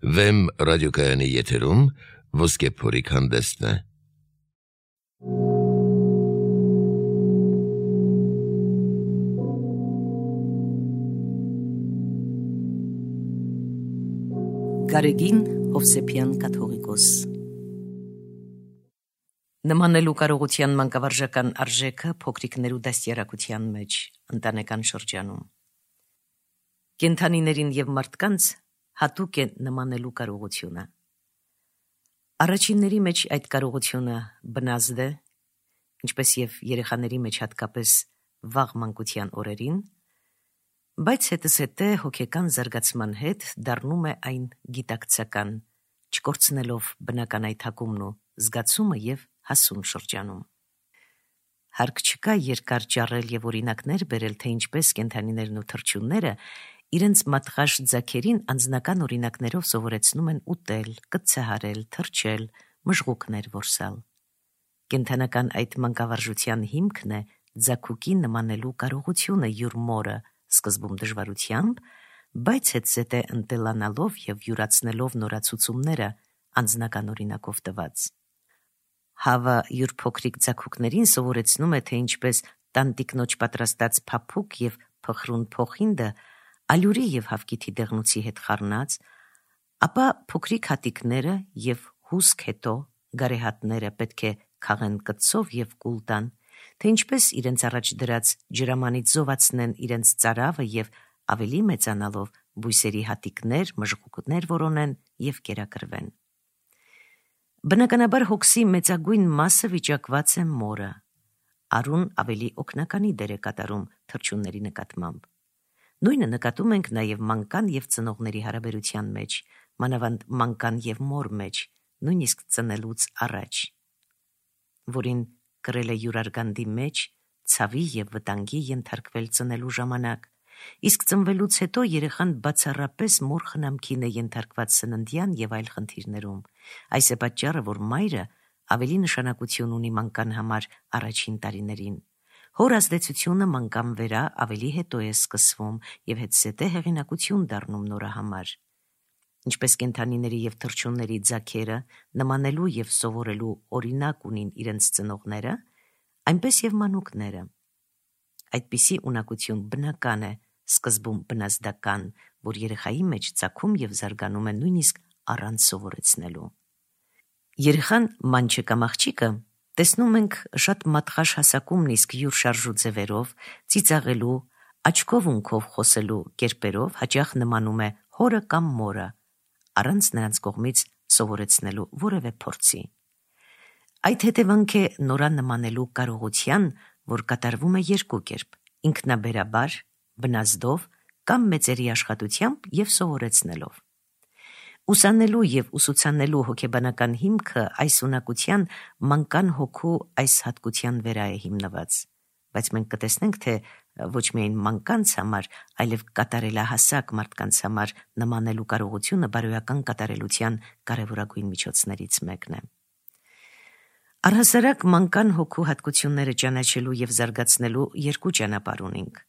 Վեմ ռադիոկայանի եթերում ոսկե փորիկ հանդեսն է։ Գարեգին Հովսեփյան կաթողիկոս։ Նմանելու կարողության մանկավարժական արժեքը փոքրիկներու դաստիարակության մեջ ընտանեկան շրջանում։ Կենդանիներին եւ մարդկանց հատուկ է նմանելու կարողությունը։ Առաջինների մեջ այդ կարողությունը բնազդ է, ինչպես եւ երեխաների մեջ հատկապես վաղ մանկության օրերին, բայց հետզհետե հոգեկան զարգացման հետ դառնում է այն գիտակցական, չկորցնելով բնական այդ հակումն ու զգացումը եւ հասուն շրջանում։ Հարկ չկա երկար ճառել եւ օրինակներ բերել, թե ինչպես կենդանիներն ու թռչունները իրենց մատղաշ ձագերին անձնական օրինակներով սովորեցնում են ուտել, կծահարել, թռչել, մժղուկներ որսալ։ Կենդանական այդ մանկավարժության հիմքն է ձագուկի նմանելու կարողությունը յուր մորը, սկզբում դժվարությամբ, բայց հետզհետե ընտելանալով եւ յուրացնելով նորացուցումները անձնական օրինակով տված։ Հավը յուր փոքրիկ ձագուկներին սովորեցնում է, թե ինչպես տանտիկնոջ պատրաստած փափուկ եւ փխրուն փոխինդը ալյուրի եւ հավկիթի դեղնուցի հետ խառնած, ապա փոքրիկ հատիկները եւ հուսք հետո գարեհատները պետք է քաղեն կծով եւ կուլ տան, թե ինչպես իրենց առաջ դրած ջրամանից զովացնեն իրենց ծարավը եւ ավելի մեծանալով բույսերի հատիկներ, մժղուկներ որոնեն եւ կերակրվեն։ Բնականաբար հոգսի մեծագույն մասը վիճակված է մորը։ Արուն ավելի օգնականի դեր է կատարում թռչունների նկատմամբ։ Նույնը նկատում ենք նաև մանկան եւ ծնողների հարաբերության մեջ, մանավանդ մանկան եւ մոր մեջ, նույնիսկ ծնելուց առաջ, որին կրել է յուրարգանդի մեջ ցավի եւ վտանգի ենթարկվել ծնելու ժամանակ, իսկ ծնվելուց հետո երեխան բացառապես մոր խնամքին է ենթարկված սննդյան եւ այլ խնդիրներում։ Այս է պատճառը, որ մայրը ավելի նշանակություն ունի մանկան համար առաջին տարիներին։ Հոր ազդեցությունը մանկան վերա ավելի հետո է սկսվում եւ հետզհետե հեղինակություն դառնում նորը համար։ Ինչպես կենդանիների եւ թռչունների ձագերը նմանելու եւ սովորելու օրինակ ունին իրենց ծնողները, այնպես եւ մանուկները։ Այդպիսի ունակություն բնական է, սկզբում բնազդական, որ երեխայի մեջ ծագում եւ զարգանում է նույնիսկ առանց սովորեցնելու։ Երեխան մանչը կամ աղջիկը տեսնում ենք շատ մատղաշ հասակումն իսկ յուր շարժու ձևերով, ծիծաղելու, աչքով ունքով խոսելու կերպերով հաճախ նմանում է հորը կամ մորը, առանց նրանց կողմից սովորեցնելու որևէ փորձի։ Այդ հետևանք է նորան նմանելու կարողության, որ կատարվում է երկու կերպ՝ ինքնաբերաբար, բնազդով կամ մեծերի աշխատությամբ եւ սովորեցնելով։ Ուսանելու եւ ուսուցանելու հոգեբանական հիմքը այս ունակության մանկան հոգու այս հատկության վրա է հիմնված, բայց մենք կտեսնենք, թե ոչ միայն մանկանց համար, այլև կատարելահասակ մարդկանց համար նմանելու կարողությունը բարոյական կատարելության կարևորագույն միջոցներից մեկն է։ Առհասարակ մանկան հոգու հատկությունները ճանաչելու եւ զարգացնելու երկու ճանապարհ ունենք։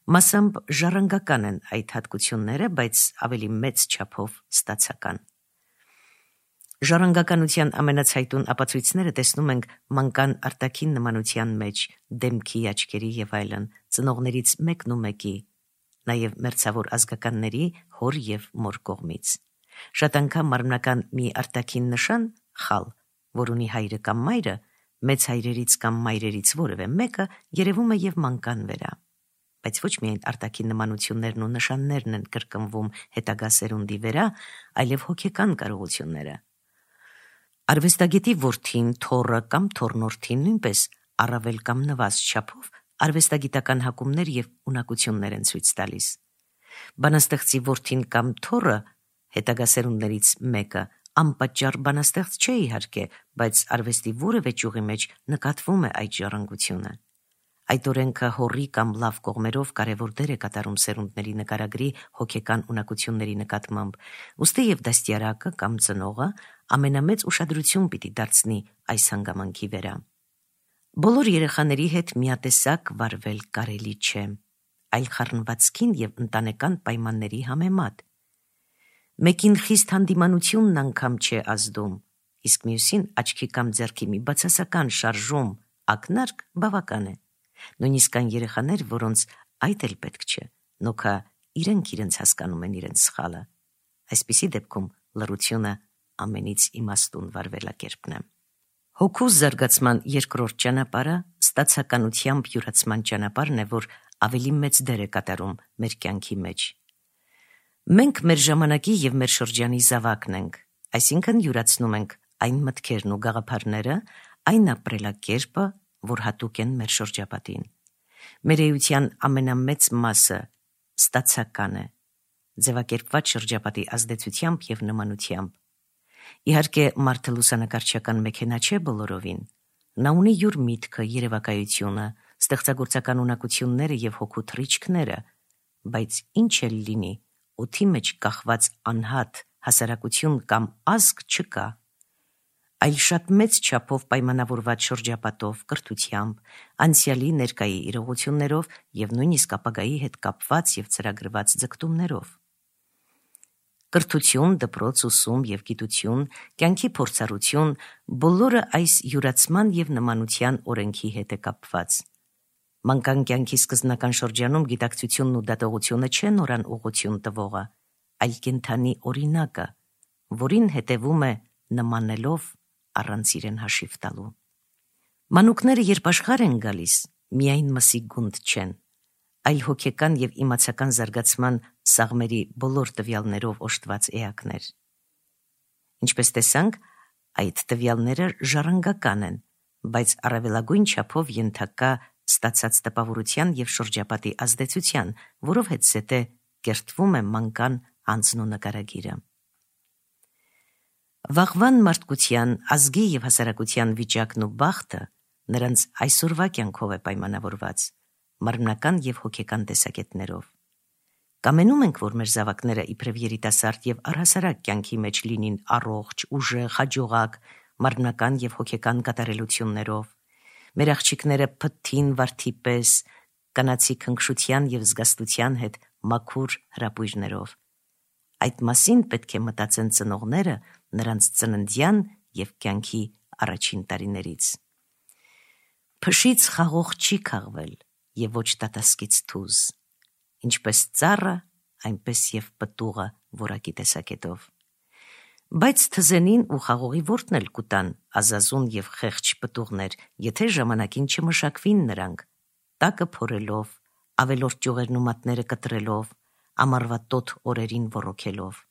Մասամբ ժառանգական են այդ հատկությունները, բայց ավելի մեծ չափով ստացական։ Ժառանգականության ամենացայտուն ապացույցները տեսնում ենք մանկան արտաքին նմանության մեջ, դեմքի, աչքերի եւ այլն, ծնողներից մեկն ու մեկի, նաեւ մերձավոր ազգականների, հոր եւ մոր կողմից։ Շատ անգամ մարմնական մի արտաքին նշան, խալ, որ ունի հայրը կամ մայրը, մեծ հայրերից կամ մայրերից որևէ մեկը երևում է եւ մանկան վերա։ Բայց ոչ միայն արտաքին նմանություններն ու նշաններն են կրկնվում հետագա սերունդի վրա, այլև հոգեկան կարողությունները։ Արվեստագետի որդին, թոռը կամ թոռնորդին նույնպես առավել կամ նվազ չափով արվեստագիտական հակումներ եւ ունակություններ են ցույց տալիս։ Բանաստեղծի որդին կամ թոռը հետագա սերունդներից մեկը անպատճառ բանաստեղծ չէ իհարկե, բայց արվեստի որևէ ճյուղի մեջ նկատվում է այդ ժառանգությունը։ Այդ օրենքը հորի կամ լավ կողմերով կարևոր դեր է կատարում սերունդների նկարագրի հոգեկան ունակությունների նկատմամբ, ուստի եւ դաստիարակը կամ ծնողը ամենամեծ ուշադրություն պիտի դարձնի այս հանգամանքի վրա։ Բոլոր երեխաների հետ միատեսակ վարվել կարելի չէ, այլ խառնվածքին եւ ընտանեկան պայմանների համեմատ։ Մեկին խիստ հանդիմանությունն անգամ չէ ազդում, իսկ մյուսին աչքի կամ ձեռքի մի բացասական շարժում, ակնարկ բավական է։ Նույնիսկ կան երեխաներ, որոնց այդ էլ պետք չէ, նոքա իրենք իրենց հասկանում են իրենց սխալը։ Այսպիսի դեպքում լռությունը ամենից իմաստուն վարվելակերպն է։ Հոգու զարգացման երկրորդ ճանապարհը ստացականությամբ յուրացման ճանապարհն է, որ ավելի մեծ դեր է կատարում մեր կյանքի մեջ։ Մենք մեր ժամանակի եւ մեր շրջանի զավակն ենք, այսինքն յուրացնում ենք այն մտքերն ու գաղափարները, այն ապրելակերպը, որ հատուկ են մեր շրջապատին։ Մեր էության ամենամեծ մասը ստացական է, ձևակերպված շրջապատի ազդեցությամբ եւ նմանությամբ։ Իհարկե, մարդը լուսանկարչական մեքենա չէ բոլորովին։ Նա ունի յուր միտքը, երևակայությունը, ստեղծագործական ունակությունները եւ հոգու թռիչքները, բայց ինչ էլ լինի, օդի մեջ կախված անհատ հասարակություն կամ ազգ չկա, այլ շատ մեծ չափով պայմանավորված շրջապատով, կրթությամբ, անցյալի ներկայի իրողություններով եւ նույնիսկ ապագայի հետ կապված եւ ծրագրված ձգտումներով։ Կրթություն, դպրոց, ուսում եւ գիտություն, կյանքի փորձառություն, բոլորը այս յուրացման եւ նմանության օրենքի հետ է կապված։ Մանկան կյանքի սկզբնական շրջանում գիտակցությունն ու դատողությունը չեն նորան ուղղություն տվողը, այլ կենդանի օրինակը, որին հետևում է նմանելով առանց իրեն հաշիվ տալու։ Մանուկները երբ աշխարհ են գալիս, միայն մսի գունդ չեն, այլ հոգեկան եւ իմացական զարգացման սաղմերի բոլոր տվյալներով օժտված էակներ։ Ինչպես տեսանք, այդ տվյալները ժառանգական են, բայց առավելագույն չափով ենթակա ստացած տպավորության եւ շրջապատի ազդեցության, որով հետզհետե կերտվում է մանկան անձն ու նկարագիրը։ Վաղվան մարդկության, ազգի եւ հասարակության վիճակն ու բախտը նրանց այսօրվա կյանքով է պայմանավորված, մարմնական եւ հոգեկան տեսակետներով։ Կամենում ենք, որ մեր զավակները իբրև երիտասարդ եւ առհասարակ կյանքի մեջ լինին առողջ, ուժեղ, հաջողակ, մարմնական եւ հոգեկան կատարելություններով։ Մեր աղջիկները փթթին վարդի պես, կանացի քնքշության եւ զգաստության հետ մաքուր հրապույրներով։ Այդ մասին պետք է մտածեն ծնողները նրանց ծննդյան եւ կյանքի առաջին տարիներից։ Փշից խաղող չի քաղվել եւ ոչ տատասկից թուզ, ինչպես ծառը, այնպես եւ պտուղը որակի տեսակետով։ Բայց թզենին ու խաղողի որդն էլ կուտան ազազուն եւ խեղճ պտուղներ, եթե ժամանակին չմշակվին նրանք, տակը փորելով, ավելորդ ճյուղերն ու մատները կտրելով, ամառվա տոտ օրերին ոռոգելով։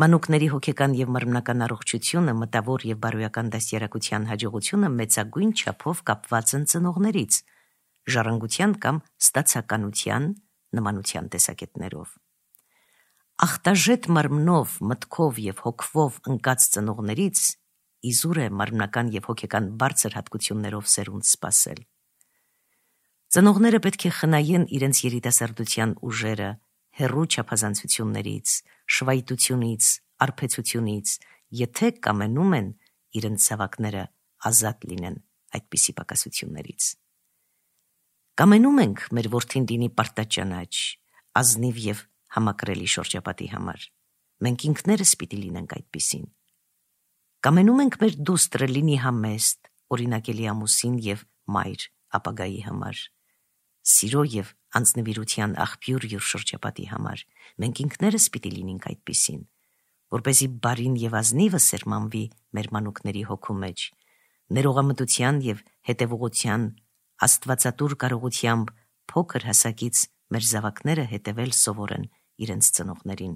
Մանուկների հոգեկան եւ մարմնական առողջությունը, մտավոր եւ բարոյական դաստիարակության հաջողությունը մեծագույն չափով կապված են ծնողներից, ժառանգության կամ ստացականության նմանության տեսակետներով։ Ախտաժետ մարմնով, մտքով եւ հոգվով ընկած ծնողներից իզուր է մարմնական եւ հոգեկան բարձր հատկություններով սերունդ սպասել։ Ծնողները պետք է խնայեն իրենց երիտասարդության ուժերը հեռու չափազանցություններից, շվայտությունից, արբեցությունից, եթե կամենում են իրենց զավակները ազատ լինեն այդպիսի պակասություններից։ Կամենում ենք մեր որդին լինի պարտաճանաչ, ազնիվ եւ համակրելի շրջապատի համար։ Մենք ինքներս պիտի լինենք այդպիսին։ Կամենում ենք մեր դուստրը լինի համեստ, օրինակելի ամուսին եւ մայր ապագայի համար։ Սիրո եւ անձնվիրության աղբյուր յուր շրջապատի համար։ Մենք ինքներս պիտի լինենք այդպիսին, որպեսզի բարին եւ ազնիվը սերմանվի մեր մանուկների հոգու մեջ, ներողամտության եւ հետեւողության աստվածատուր կարողությամբ փոքր հասակից մեր զավակները հետևել սովորեն իրենց ծնողներին։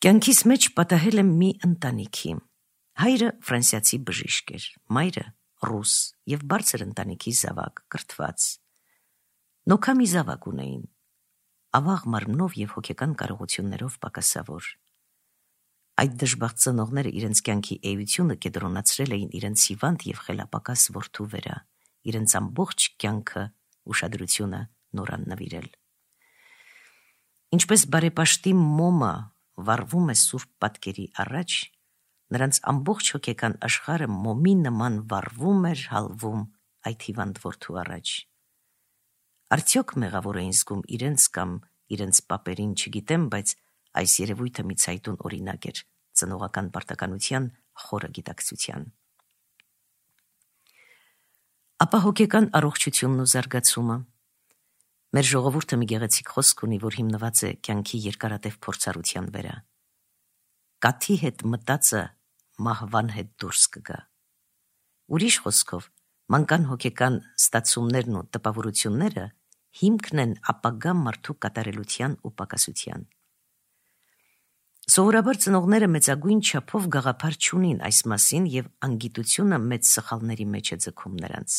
Կյանքիս մեջ պատահել եմ մի ընտանիքի։ Հայրը ֆրանսիացի բժիշկ էր, մայրը ռուս եւ բարձր ընտանիքի զավակ, կրթված։ Նոքա մի զավակ ունեին, ավաղ մարմնով եւ հոգեկան կարողություններով պակասավոր։ Այդ դժբախտ ծնողները իրենց կյանքի էությունը կենտրոնացրել էին իրենց հիվանդ եւ խելապակաս որդու վրա, իրենց ամբողջ կյանքը ուշադրությունը նորան նվիրել։ Ինչպես բարեպաշտի մոմը վառվում է սուրբ պատկերի առաջ, նրանց ամբողջ հոգեկան աշխարհը մոմի նման վառվում էր, հալվում այդ հիվանդ որդու առաջ։ Արդյոք մեղավոր էին զգում իրենց կամ իրենց պապերին, չգիտեմ, բայց այս երևույթը մի ցայտուն օրինակ էր ծնողական պարտականության խորը գիտակցության։ Ապա հոգեկան առողջությունն ու զարգացումը։ Մեր ժողովուրդը մի գեղեցիկ խոսք ունի, որ հիմնված է կյանքի երկարատև փորձառության վրա։ Կաթի հետ մտածը մահվան հետ դուրս կգա։ Ուրիշ խոսքով, մանկան հոգեկան ստացումներն ու տպավորությունները հիմքն են ապագա մարդու կատարելության ու պակասության։ Սովորաբար ծնողները մեծագույն չափով գաղափար չունին այս մասին եւ անգիտությունը մեծ սխալների մեջ է ձգում նրանց։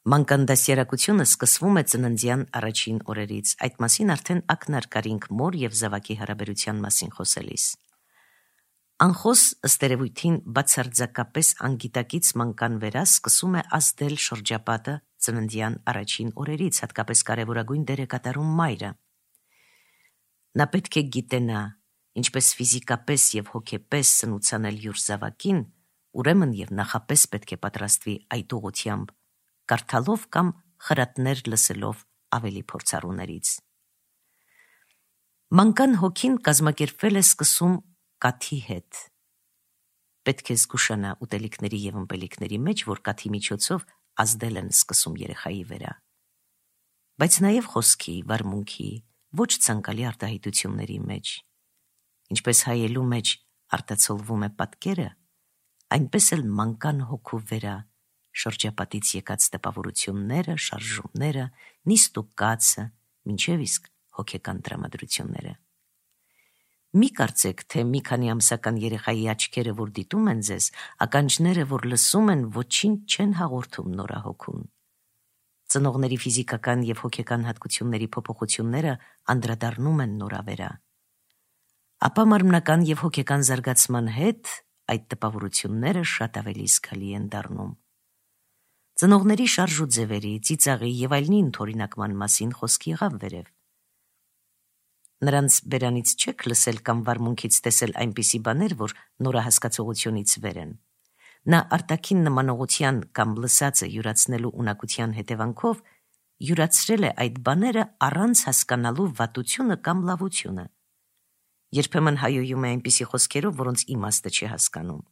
Մանկան դասյարակությունը սկսվում է ծննդյան առաջին օրերից, այդ մասին արդեն ակնարկարինք մոր եւ զավակի հարաբերության մասին խոսելիս։ Անխոս ըստ երևույթին բացարձակապես անգիտակից մանկան վրա սկսում է ազդել շրջապատը ծննդյան առաջին օրերից, հատկապես կարևորագույն դեր է կատարում մայրը։ Նա պետք է գիտենա, ինչպես ֆիզիկապես եւ հոգեպես սնուցանել յուր զավակին, ուրեմն եւ նախապես պետք է պատրաստվի այդ ուղղությամբ, կարդալով կամ խրատներ լսելով ավելի փորձառուներից։ Մանկան հոգին կազմակերպվել է սկսում կաթի հետ։ Պետք է զգուշանա ուտելիքների եւ ըմպելիքների մեջ, որ կաթի միջոցով ազդել են սկսում երեխայի վրա։ Բայց նաեւ խոսքի, վարմունքի, ոչ ցանկալի արտահայտությունների մեջ։ Ինչպես հայելու մեջ արտացոլվում է պատկերը, այնպես էլ մանկան հոգու վրա շրջապատից եկած տպավորությունները, շարժումները, նիստ ու կացը, մինչև իսկ հոգեկան տրամադրությունները։ Մի կարծեք, թե մի քանի ամսական երեխայի աչքերը, որ դիտում են ձեզ, ականջները, որ լսում են, ոչինչ չեն հաղորդում նորահոգուն։ Ծնողների ֆիզիկական եւ հոգեկան հատկությունների փոփոխությունները անդրադառնում են նորավերա։ Ապա մարմնական եւ հոգեկան զարգացման հետ այդ տպավորությունները շատ ավելի զգալի են դառնում։ Ծնողների շարժ ու ձևերի, ծիծաղի եւ այլնի ընդօրինակման մասին խոսք եղավ վերև։ Նրանց բերանից չեք լսել կամ վարմունքից տեսել այնպիսի բաներ, որ նորահասկացողությունից վեր են։ Նա արտաքին նմանողության կամ լսածը յուրացնելու ունակության հետևանքով յուրացրել է այդ բաները առանց հասկանալու վատությունը կամ լավությունը։ Երբեմն հայոյում է այնպիսի խոսքերով, որոնց իմաստը չի հասկանում։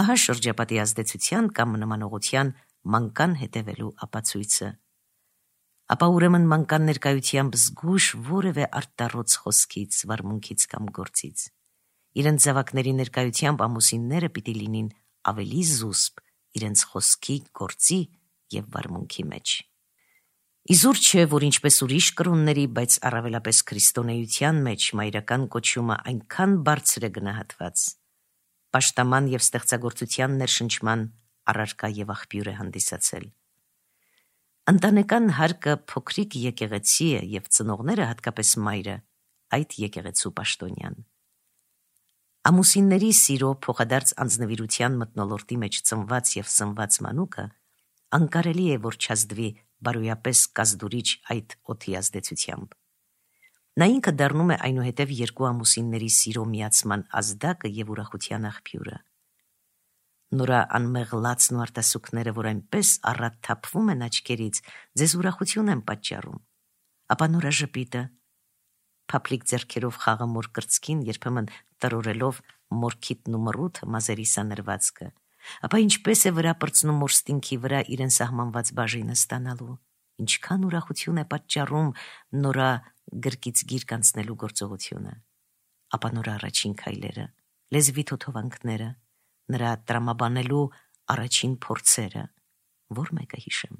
Ահա շրջապատի ազդեցության կամ նմանողության մանկան հետևելու ապացույցը։ Ապա ուրեմն մանկան ներկայությամբ զգույշ որևէ արտառոց խոսքից, վարմունքից կամ գործից։ Իրենց զավակների ներկայությամբ ամուսինները պիտի լինին ավելի զուսպ իրենց խոսքի, գործի եւ վարմունքի մեջ։ Իզուր չէ, որ ինչպես ուրիշ կրոնների, բայց առավելապես քրիստոնեության մեջ մայրական կոչումը այնքան բարձր է գնահատված, պաշտաման եւ ստեղծագործության ներշնչման առարկա եւ աղբյուր է հանդիսացել։ Ընտանեկան հարկը փոքրիկ եկեղեցի է եւ ծնողները, հատկապես մայրը, այդ եկեղեցու պաշտոնյան։ Ամուսինների սիրո փոխադարձ անձնվիրության մթնոլորտի մեջ ծնված եւ սնված մանուկը անկարելի է, որ չազդվի բարոյապես կազդուրիչ այդ օդի ազդեցությամբ։ Նա ինքը դառնում է այնուհետև երկու ամուսինների սիրո միացման ազդակը եւ ուրախության աղբյուրը։ Նորա անմեղ լացն ու արտասուքները, որ այնպես առատ թափվում են աչքերից, ձեզ ուրախություն են պատճառում։ Ապա նորա ժպիտը, փափլիկ ձեռքերով խաղը մոր կրծքին, երբեմն տրորելով մորքիթն ու մռութը մազերի սանրվածքը, ապա ինչպես է վրա պրծնում մոր ստինքի վրա իրեն սահմանված բաժինը ստանալու, ինչքան ուրախություն է պատճառում նորա գրկից գիրք անցնելու գործողությունը։ Ապա նորա առաջին քայլերը, լեզվի թոթովանքները, նրա տրամաբանելու առաջին փորձերը, որ մեկը հիշեմ։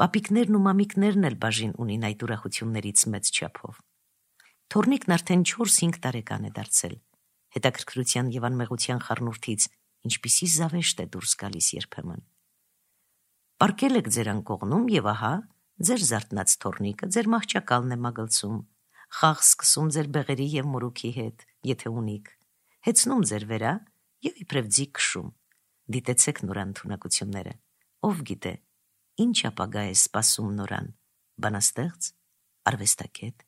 Պապիկներն ու մամիկներն էլ բաժին ունին այդ ուրախություններից մեծ չափով։ Թորնիկն արդեն 4-5 տարեկան է դարձել, հետաքրքրության եւ անմեղության խառնուրդից ինչպիսի զավեշտ է դուրս գալիս երբեմն։ Պարկել եք ձեր անկողնում եւ ահա ձեր զարթնած թորնիկը ձեր մահճակալն է մագլցում, խաղ սկսում ձեր բեղերի եւ մորուքի հետ, եթե ունիք, հեծնում ձեր վերա եւ իբրև ձի քշում։ Դիտեցեք նորան թունակությունները, ով գիտե, ինչ ապագա է սպասում նորան, բանաստեղծ, արվեստագետ,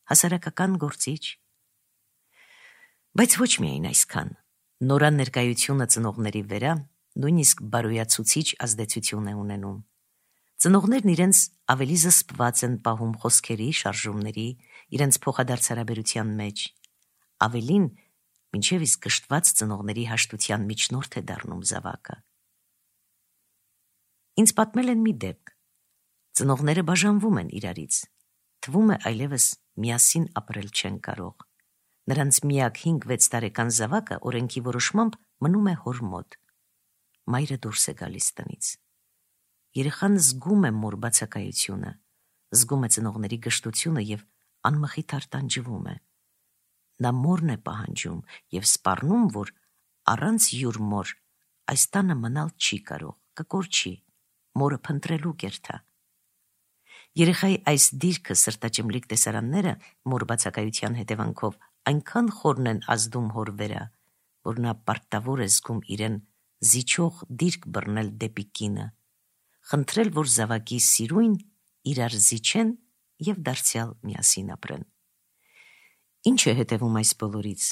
հասարակական գործիչ։ Բայց ոչ միայն այսքան, նորան ներկայությունը ծնողների վրա նույնիսկ բարոյացուցիչ ազդեցություն է ունենում։ Ծնողներն իրենց ավելի զսպված են պահում խոսքերի, շարժումների, իրենց փոխադարձ հարաբերության մեջ, ավելին մինչև իսկ կշտված ծնողների հաշտության միջնորդ է դառնում զավակը։ Ինձ պատմել են մի դեպք։ Ծնողները բաժանվում են իրարից, թվում է այլևս միասին ապրել չեն կարող։ Նրանց միակ 5-6 տարեկան զավակը օրենքի որոշմամբ մնում է հոր մոտ։ Մայրը դուրս է գալիս տնից։ Երեխան զգում է մոր բացակայությունը, զգում է ծնողների գժտությունը և անմխիթար տանջվում է։ Նա մորն է պահանջում և սպառնում, որ առանց յուր մոր այս տանը մնալ չի կարող, կկորչի, մորը փնտրելու կերթա։ Երեխայի այս դիրքը սրտաճմլիկ տեսարանները մոր բացակայության հետևանքով այնքան խորն են ազդում հոր վրա, որ նա պարտավոր է զգում իրեն զիջող դիրք բռնել դեպի կինը, խնդրել, որ զավակի սիրույն իրար զիջեն և դարձյալ միասին ապրեն։ Ինչ է հետևում այս բոլորից,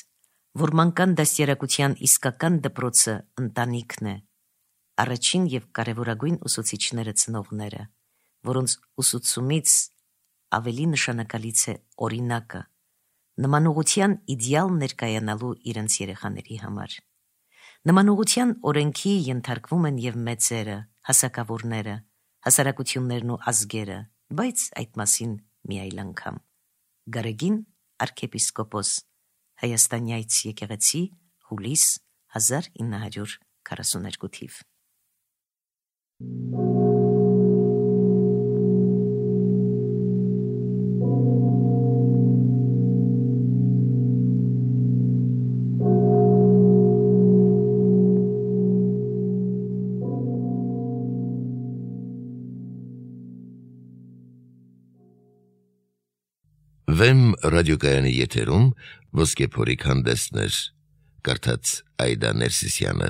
որ մանկան դաստիարակության իսկական դպրոցը ընտանիքն է, առաջին և կարևորագույն ուսուցիչները ծնողները, որոնց ուսուցումից ավելի նշանակալից է օրինակը, նմանողության իդեալ ներկայանալու իրենց երեխաների համար։ Նմանողության օրենքի ենթարկվում են և մեծերը, հասակավորները, հասարակություններն ու ազգերը, բայց այդ մասին մի այլ անգամ։ Գարեգին arczepiskopos Հայաստանյաց եկեղեցի հուլիս 1942 թիվ։ Վեմ ռադիոկայանի եթերում ոսկե փորիկ հանդեսներ, կարդաց Այդա Ներսիսյանը։